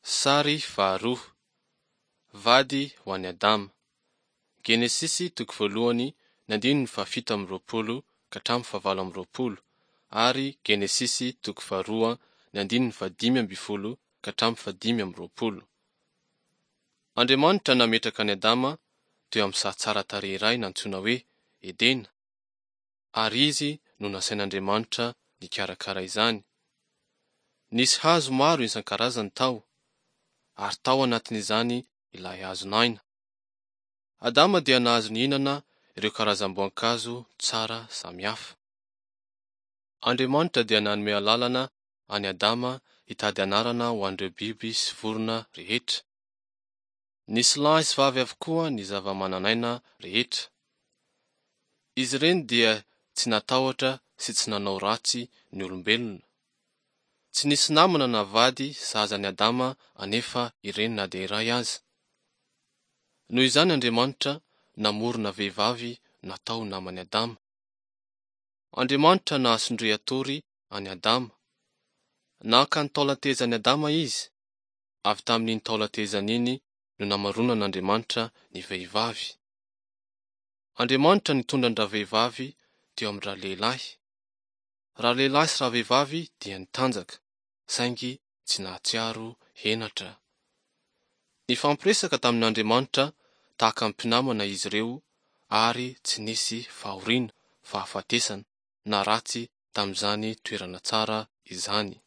Sary faharoa. Vady ho an'i Adama. Genesisy toko voalohany ny andininy fahafito amby 20 ka hatramin'ny fahavalo amby 20 ary Genesisy toko faharoa ny andininy faha-15 ka hatramin'ny faha-25. Andriamanitra nametraka an'i Adama teo amin'ny saha tsara tarehy iray nantsoina hoe Edena, ary izy no nasain'Andriamanitra nikarakara izany. Nisy hazo maro isan-karazany tao, ary tao anatin'izany ilay hazon'aina. Adama dia nahazo nihinana ireo karazam-boankazo tsara samihafa. Andriamanitra dia nanome alalana an'i Adama hitady anarana ho an'ireo biby sy vorona rehetra. Nisy lahy sy vavy avokoa ny zava-manan'aina rehetra. Izy ireny dia tsy natahotra sy tsy nanao ratsy ny olombelona. Tsy nisy namana na vady sahaza an'i Adama anefa ireny na dia iray aza. Noho izany Andriamanitra namorona vehivavy natao ho naman'i Adama. Andriamanitra nahasondrian-tory an'i Adama. Naka ny taolan-tehezan'i Adama izy. Avy tamin'iny taolan-tehezany iny no namaronan'Andriamanitra ny vehivavy. Andriamanitra nitondra an-dravehivavy teo amin-dralehilahy. Ralehilahy sy ravehivavy dia nitanjaka, saingy tsy nahatsiaro henatra. Nifampiresaka tamin'Andriamanitra tahaka ny mpinamana izy ireo ary tsy nisy fahoriana, fahafatesana, na ratsy tamin'izany toerana tsara izany.